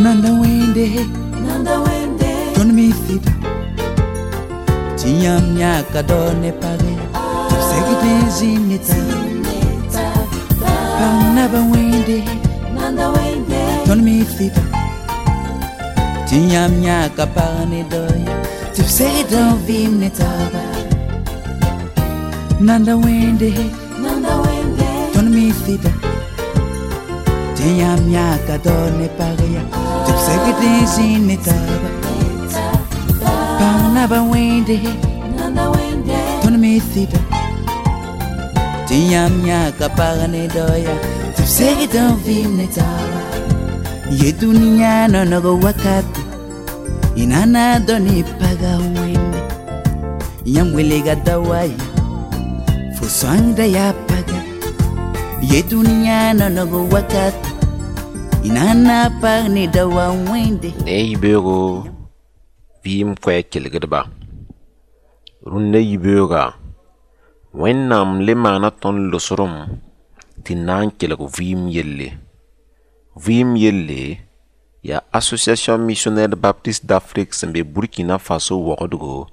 Nanda wẽnde. Nanda wẽnde. Tõnd mi sɩda tɩ yãmb yãka dao ne page tɩ b segd n zĩnd ne taaba. Pãng naba wẽnde. Nanda wẽnde. Tõnd mi sɩda tɩ yãmb yãka pag ne daoya tɩ b segd n vɩɩm ne taaba. Nanda wẽnde. Nanda wẽnde. Tõnd mi sɩda tɩ yãmb yãka dao ne pag ya tɩ b segd n zĩnd ne taaba. Pãng naba wẽnde. Nanda wẽnde. Tõnd mi sɩda tɩ yãmb yãka pag ne daoya tɩ b segd n vɩɩm ne taaba. Ye dũniyã nonog wakate y na na dao ne paga wẽnde yãmb welga da wa ya fo sõangda yaa paga. Ye dũniyã nonog wakate y na na pag ne da wa wẽnde. Ne yibeoogo vɩɩm koɛɛg kelgdba. Rũndã yibeooga, Wẽnnaam le maana tõnd losrem tɩ na n kelg vɩɩm yelle. Vɩɩm yelle yaa Association Missionnaire Baptiste d'Afrique sẽn be Burkina Faso waoogdgo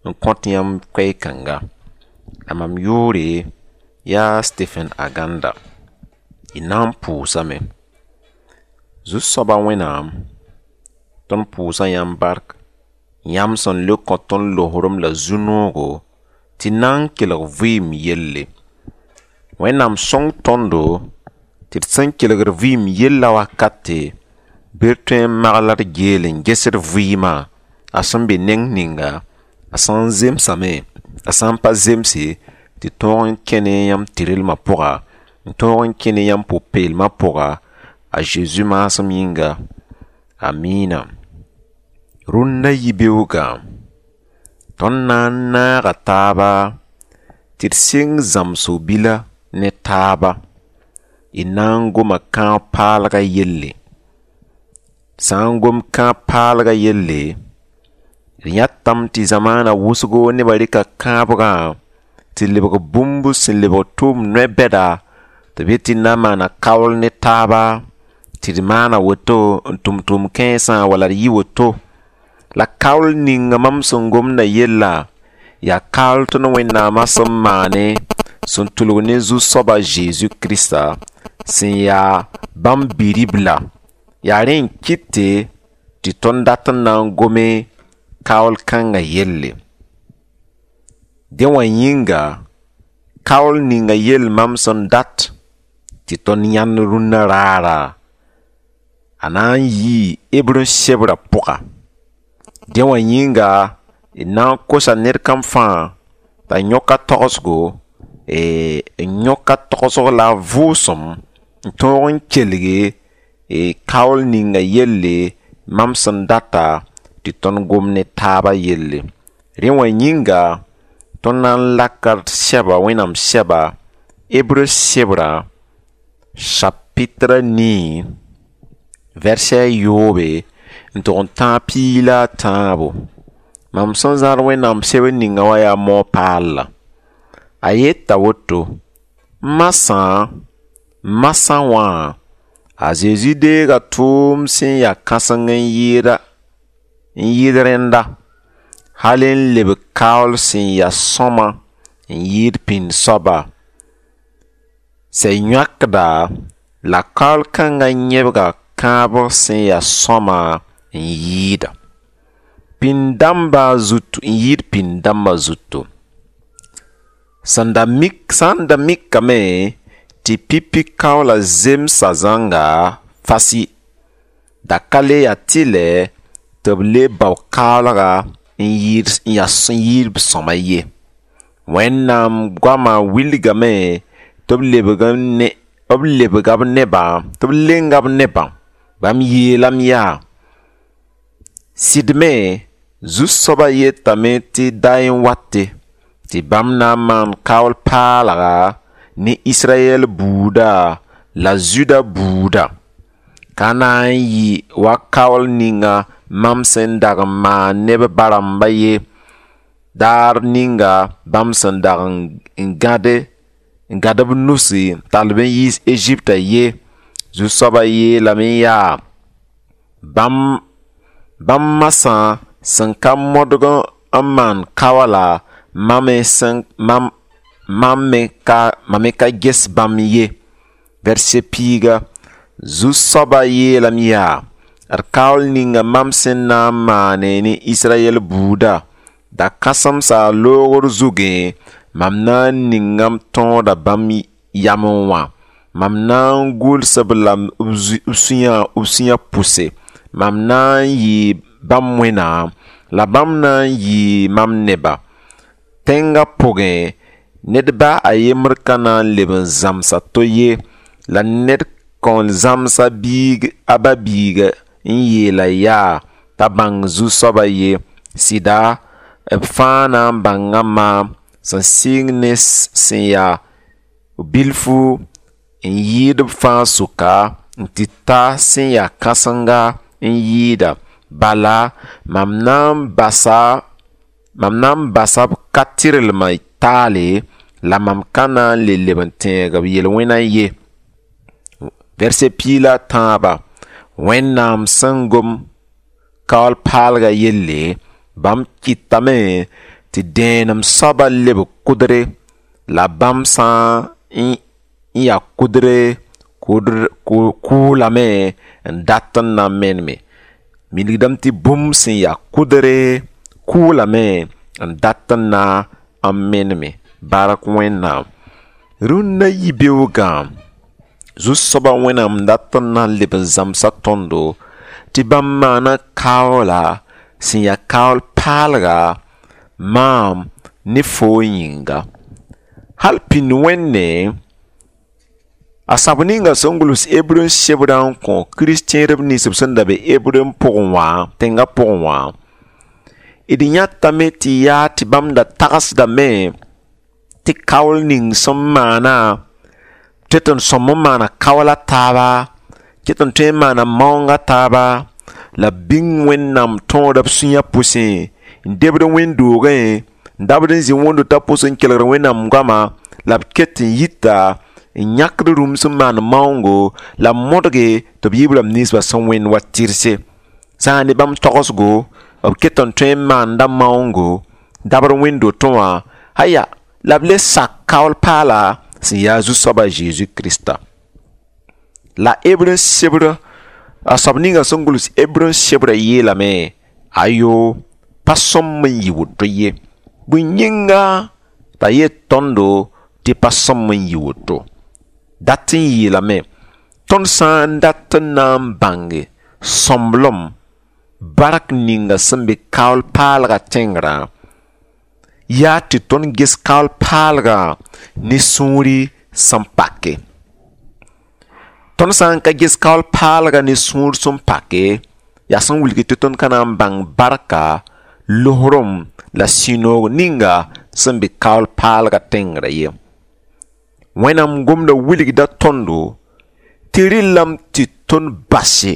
n kõt yãmb koɛɛ-kãnga. La mam yʋʋre yaa Stephen Aganda. Y na n pʋʋsame. Zu-soaba Wẽnnaam, tõnd pʋʋsa yãmb bark, yãmb sẽn le kõ tõnd losrem la zu-noogo tɩ na n kelg vɩɩm yelle. Wẽnnaam sõng tõndo tɩ d sẽn kelgd vɩɩm yella wakate bɩ d tõe n mag la d geel n ges d vɩɩmã a sẽn be neng ninga, a sã n zemsame, a sã n pa zemse, tɩ tõog n kẽ ne yãmb tɩrlmã pʋga, n tõog n kẽ ne yãmb pʋ-peelmã pʋga, a Zeezi maasem yĩnga. Amiina. Rũndã yibeoogã, tõnd na n naaga taaba tɩ d sɩng zãmsg bila ne taaba. Y na n goma kãab paalgã yelle. Sã n gom kãab paalgã yelle, d yãtame tɩ zamaana wʋsgo nebã rɩka kãabgã tɩ lebg bũmb sẽn lebg tʋʋm no-bɛda tɩ b yet tɩ d na n maana kaool ne taaba, tɩ d maana woto n tʋm tʋʋm kãensã wala d yɩ woto. La kaool ninga mam sẽn gomdã yella yaa kaool tõnd Wẽnnaamã sẽn maane sẽn tʋlg ne Zu-soaba Zeezi Kirista sẽn yaa bãmb bi-ribla. Yaa rẽ n kɩte tɩ tõnd dat n na n gome kaool kãngã yelle. Dẽ wã yĩnga, kaool ninga yell mam sẽn dat tɩ tõnd yãnd rũnnã raara, a na n yii Hebre sebrã pʋga. Dẽ wã yĩnga, d na n kosa ned kam fãa t'a yõk a tagsgo, n yõk a tagsg la a vʋʋsem n tõog n kelge kaool ninga yelle mam sẽn data tɩ tõnd gom ne taabã yelle. Rẽ wã yĩnga, tõnd na n laka d sɛba, Wẽnnaam sɛba, Hebre sebrã chapitre 9, verset 7 n tʋg n tãag 13. Mam sẽn zãad Wẽnnaam sebr ninga wã yaa mao-paalla. A yeta woto: masã, masã wã, a Zezi deega tʋʋm sẽn yaa kãseng n yɩɩda n yɩɩd rẽnda, hal n lebg kaool sẽn yaa sõma n yɩɩd pĩnd soaba. Sẽn yõkda la kaool kãngã yẽbga kãabg sẽn yaa sõma n yɩɩda. Pĩnd-dãmbã zutu n yɩɩd pĩnd-dãmbã zutu. Sẽn da mik sã n da mikame tɩ pipi kaoola zemsa zãnga fasi, da ka le yaa tɩlɛ tɩ b le bao kaoolga n yɩɩd n yaa n yɩɩd b sõma ye. Wẽnnaam goamã wilgame tɩ b lebg n ne b lebga b nebã tɩ b lenga b nebã. Bãmb yeelame yaa: sɩd me Zu-soabã yetame tɩ da n wate tɩ bãmb na n maan kaool paalga ne Israyɛl buuda la Zuda buuda. Ka na n yɩ wa kaool ninga mam sẽn dag n maan ne b ba-rãmbã ye daar ninga bãmb sẽn dag n gãde n gãd b nusi n tall b n yiis Eziptã ye. Zu-soabã yeelame yaa: Bãmb bãmb masã sẽn ka modg n maan kaoola, mam me sẽn mam mam me ka mam me ka ges bãmb ye. Verset piiga, Zu-soabã yeelame yaa: d kaool ninga mam sẽn na n maane ne Israyɛl buuda, da kãsemsa loogr zugẽ, mam na n ninga m tõoda bãmb yamẽ wã. Mam na n gʋls-b la b sũyã b sũyã pʋse. Mam na n yɩ bãmb Wẽnnaam, la bãmb na n yɩ mam neba. Tẽngã pʋgẽ, ned ba a yembr ka na n leb n zãms a to ye, la ned kõn zãms a biig a ba biiga n yeela yaa t'a bãng Zu-soabã ye. Sɩda, b fãa na n bãnga maam, sẽn sɩng ne sẽn yaa bilfu n yɩɩd b fãa sʋka n tɩ ta sẽn yaa kãsenga n yɩɩda. Bala, mam na n basa mam na n basa b ka tɩrlmã taale, la mam ka na n le leb n tẽeg b yel-wẽnã ye. Verset piig la a tãabã, Wẽnnaam sẽn gom kaool paalgã yelle, bãmb kɩtame tɩ dẽenem soabã leb kʋdre, la bãmb sã n yaa kʋdre kʋʋlame n dat n na n meneme. Wilgdame tɩ bũmb sẽn yaa kʋdre kʋʋlame n dat n na n meneme. Bark Wẽnnaam. Rũnnã yibeoogã, Zu-soabã Wẽnnaam dat n na n leb n zãmsa tõndo tɩ bãmb maana kaoola sẽn yaa kaool paalga maam ne foo yĩnga. Hal pĩnd wẽnde, a sab ninga sẽn gʋls Hebreu sebrã n kõ kirist-tẽedb nins b sẽn da be Hebreu pʋgẽ wã, tẽngã pʋgẽ wã, d yãtame tɩ yaa tɩ bãmb da tagsdame tɩ kaool ning sẽn maana tɩ tɩ n sõm n maana kaoola taaba, ket n tõe n maana maoongã taaba, la b bĩng Wẽnnaam tõoda b sũyã pʋsẽ, n debd wẽnd-doogẽ, n dabd n zĩ wẽnd-dotã pʋs n kelgd Wẽnnaam goama, la b ket n yita n yãkd rũm sẽn maan maoongo, la b modge tɩ b yɩ b rãmb ninsbã sẽn wẽnd wa tɩrse. Sã n ne bãmb togsgo, b ket n tõe n maanda maoongo, dabd wẽnd-dotẽ wã, aya, la b le sak kaool paala sẽn yaa Zu-soabã Zeezi Krista. La Hebreu sebr a soab ninga sẽn gʋls Hebreu sebrã yeelame, ayo, pa sõm n yɩ woto ye. Bõe yĩnga t'a yet tõndo tɩ pa sõm n yɩ woto. Dat n yeelame, tõnd sã n dat n na n bãnge sõmblem bark ninga sẽn be kaool paalgã tẽngrã, yaa tɩ tõnd ges kaool paalgã ne sũuri sẽn pake. Tõnd sã n ka ges kaool paalgã ne sũur sẽn pake, yaa sẽn wilg tɩ tõnd ka na n bãng barka, losrem la sũ-noog ninga sẽn be kaool paalgã tẽngrã ye. Wẽnnaam gomda wilgda tõndo tɩ rɩllame tɩ tõnd base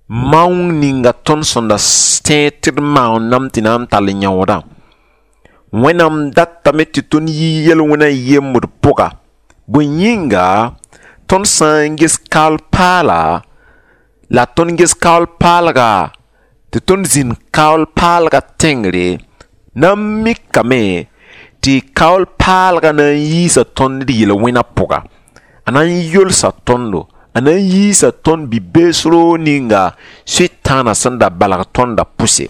maoong ninga tõnd sẽn da tẽed tɩ d maooname tɩ na n tall yãoodã. Wẽnnaam datame tɩ tõnd yɩ yel-wẽnã yembd pʋga. Bõe yĩnga, tõnd sã n ges kaool paala, la tõnd ges kaool paalga, tɩ tõnd zĩnd kaool paalga tẽngre, na n mikame tɩ kaool paalga na n yiisa tõnd d yel-wẽnã pʋga. A na n yolsa tõndo, a na n yiisa tõnd bi-bees roog ninga Sʋtãanã sẽn da balg tõndã pʋse.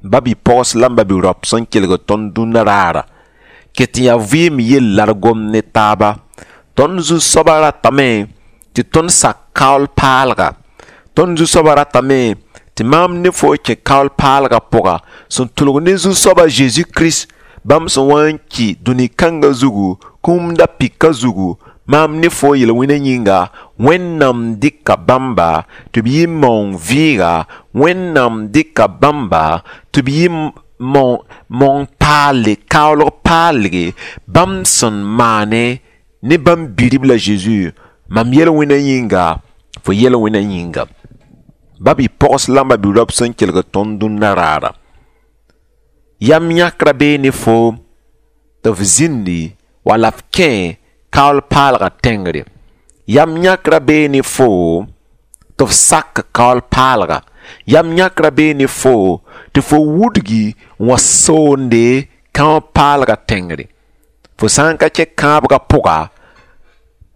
Ba bi-pogs la b ba-bi-raop sẽn kelg tõnd dũnna raara, ket n yaa vɩɩm yell la d gom ne taaba. Tõnd Zu-soabã ratame tɩ tõnd sak kaool paalga. Tõnd Zu-soabã ratame tɩ maam ne fo kẽ kaool paalgã pʋga sẽn tʋlg ne Zu-soabã Zeezi Kirist, bãmb sẽn wa n ki dũni kãngã zugu, kũum da pika zugu, maam ne fo yel-wẽnã yĩnga, Wẽnnaam dɩka bãmba tɩ b yɩ maoong vɩɩga, Wẽnnaam dɩka bãmba tɩ b yɩ maoong paalle, kaoolg paalge, bãmb sẽn maane ne bãmb bi-ribla Zeezi, mam yel-wẽnã yĩnga, fo yel-wẽnã yĩnga. Ba bi-pogs la b ba-bi-raop sẽn kelg tõnd dũnna raara. Yam yãkrã bee ne foom tɩ f zĩndi wala f kẽ kaool paalgã tẽngre. Yam yãkrã bee ne foom Tɩ f sak kaool paalga. Yam yãkra bee ne foo tɩ fo wudgi n wa soonde kão paalga tẽngre. Fo sã n ka kẽ kãabga pʋga,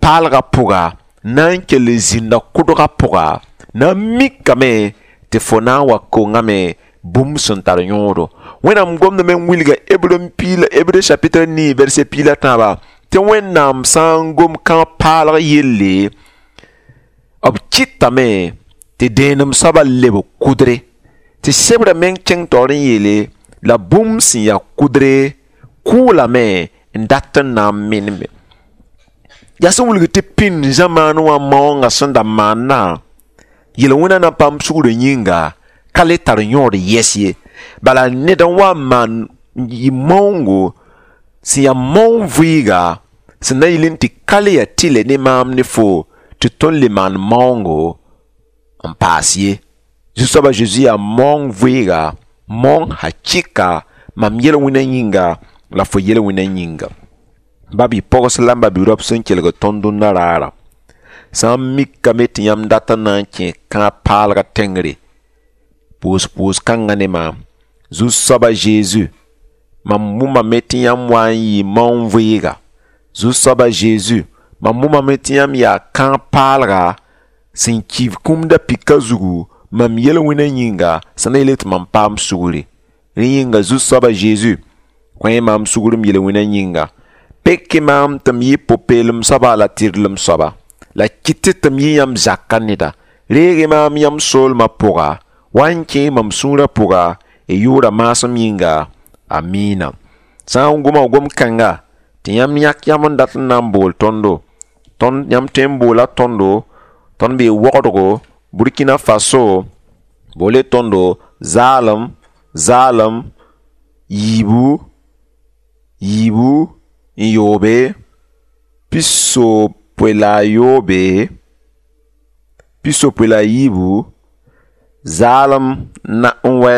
paalga pʋga, na n kell n zĩnda kʋdga pʋga, na n mikame tɩ fo na n wa kongame bũmb sẽn tar yõodo. Wẽnnaam gomdame n wilga Hebreu piig la Hebreu chapitre 9 verset 13 tɩ Wẽnnaam sã n gom kão paalg yelle, b kɩtame tɩ dẽenem soabã leb kʋdre. Tɩ sebrã meng kẽng taoor n yeele la bũmb sẽn yaa kʋdre kʋʋlame n dat n na n menembe. Yaa sẽn wilg tɩ pĩnd zãmaan wã maoongã sẽn da maannã, yel-wẽna na paam sugrã yĩnga ka le tar yõod yɛs ye. Bala ned n wa n maan yɩ maoongo sẽn yaa maoong vɩɩga sẽn na yɩl n tɩ ka le yaa tɩlɛ ne maam ne fo tɩ tõnd le maan maoongo n paas ye. Zu-soabã Zeezi yaa maoong vɩɩga, maoong hakɩka mam yel-wẽnã yĩnga la fo yel-wẽnã yĩnga. Ba-bi-pogs la n ba-bi-raop sẽn kelg tõnd dũnna raarã, sã n mikame tɩ yãmb dat n na n kẽ kãab paalga tẽngre, pʋʋs-pʋʋs kãngã ne maam. Zu-soabã Zeezi, mam wʋmame tɩ yãmb wa n yɩ maoong vɩɩga. Zu-soabã Zeezi, mam wʋmame tɩ yãmb yaa kãab paalga sẽn ki kũmda pika zugu mam yel-wẽnã yĩnga sẽn na yeel tɩ mam paam sugri. Rẽ yĩnga Zu-soabã Zeezi, kõ-y maam sugr m yel-wẽnã yĩnga. Pek-y maam tɩ m yɩ pʋ-peelem soaba la tɩrlem soaba. La kɩt tɩ m yɩ yãmb zakã neda. Reeg-y maam yãmb soolmã pʋga, wa n kẽ mam sũurã pʋga, y yʋʋra maasem yĩnga. Amiina. Sã n goma gom-kãnga tɩ yãmb yãk yãmb n dat n na n bool tõndo. Tõnd yãmb tõe n boola tõndo, tõnd bee wogdgo, Burkina Faso, boole tõndo zaalem, zaalem, yiibu, yiibu, n yoobe, pisopoe la a yoobe, pisopoe la a yiibu, zaalem na n wɛ.